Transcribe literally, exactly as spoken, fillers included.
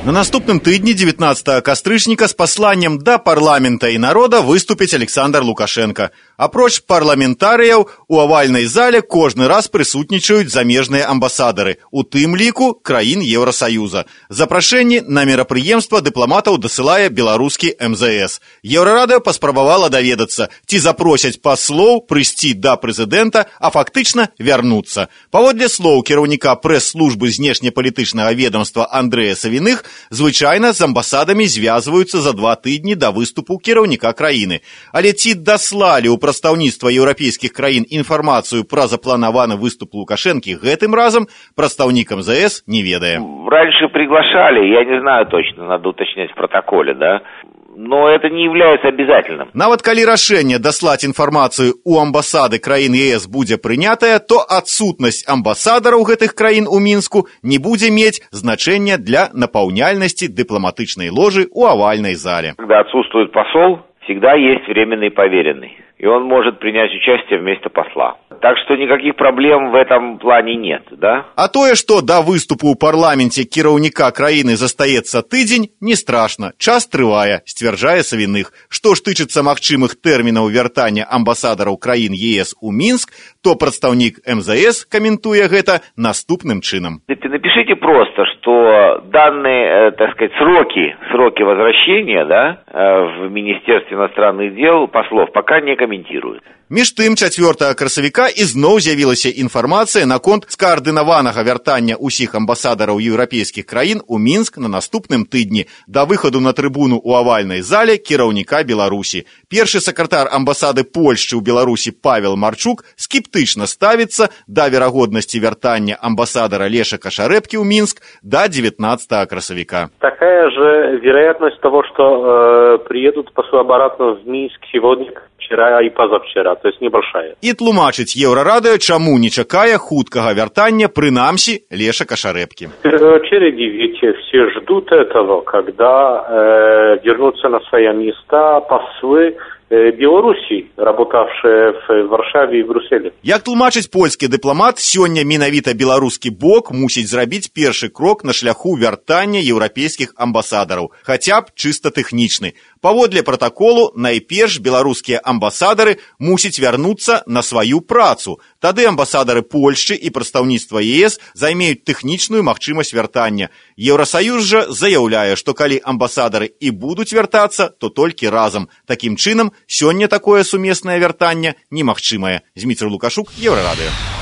На наступным тыдні дзевятнаццатага кастрычніка з пасланнем да парламента і народа выступіць Александр Лукашенко. Апроч парламентарыяў у авальнай зале кожны раз прысутнічаюць замежныя амбасадары, у тым ліку краін Еўрасаюза. Запрашэнні на мерапрыемства дыпламатаў дасылае беларускі эм зэ эс. Еўрарадыё паспрабавала даведацца, ці запросяць паслоў прыйсці да прэзідэнта, а фактычна вярнуцца. Паводле слоў кіраўніка прэс-службы знешнепалітычнага ведомства Андрэя Савіных, звычайна з амбасадамі звязваюцца за два тыдні да выступу кіраўніка краіны. Але ці даслалі ў прадстаўніцтва еўрапейскіх краін інфармацыю пра запланаваны выступ Лукашэнкі гэтым разам, прадстаўнік эм зэ эс не ведае. Раньше приглашали, я не знаю точно, надо уточнять в протоколе, да? Но это не является обязательным. Нават калі рашэнне даслаць інфармацыю ў амбасады краін е эс будзе прынятае, то адсутнасць амбасадараў гэтых краін у Мінску не будзе мець значэння для напаўняльнасці дыпламатычнай ложы ў авальнай зале. Когда отсутствует посол, всегда есть временный поверенный, и он может принять участие вместо посла. Так что никаких проблем в этом плане нет, да? А тое, што да выступу ў парламенце кіраўніка краіны застаецца тыдзень, не страшна. Час трывае, сцвярджае Савіных. Што ж тычыцца магчымых тэрмінаў вяртання амбасадараў краін е эс у Мінск, то прадстаўнік эм зэ эс каментуе гэта наступным чынам. Напишите просто, что данные, так сказать, сроки, сроки возвращения, да, в Министерстве иностранных дел послов пока не комментируют. Між тым, чацвёртага красавіка ізноў з'явілася інфармацыя наконт скаардынаванага вяртання ўсіх амбасадараў еўрапейскіх краін у Мінск на наступным тыдні да выхаду на трыбуну ў авальнай зале кіраўніка Беларусі. Першы сакратар амбасады Польшчы ў Беларусі Павел Марчук скептычна ставіцца да верагоднасці вяртання амбасадара Леша Кашарэбкі ў Мінск да девятнадцатого красавіка. Такая же вероятность того, что э, приедут послы обратно в Минск сегодня, вчера и позавчера, то есть небольшая. І тлумачыць Еўрарадыё, чаму не чакае хуткага вяртання, прынамсі, Леша Кашарэбкі. В первую очередь, ведь все ждут этого, когда э, вернутся на свои места послы Беларусі, работавшие в Варшаве и Брюсселе. Як тлумачыць польскі дыпламат, сёння менавіта беларускі бок мусіць зрабіць першы крок на шляху вяртання еўрапейскіх амбасадараў, хаця б чыста тэхнічны. Паводле пратаколу, найперш беларускія амбасадары мусяць вярнуцца на сваю працу. Тады амбасадары Польшчы і прадстаўніцтва е эс займеюць тэхнічную магчымасць вяртання. Еўрасаюз жа заяўляе, што калі амбасадары і будуць вяртацца, то толькі разам. Такім чынам, сёння такое сумеснае вяртанне немагчымае. Зміцер Лукашук, Еўрарадыё.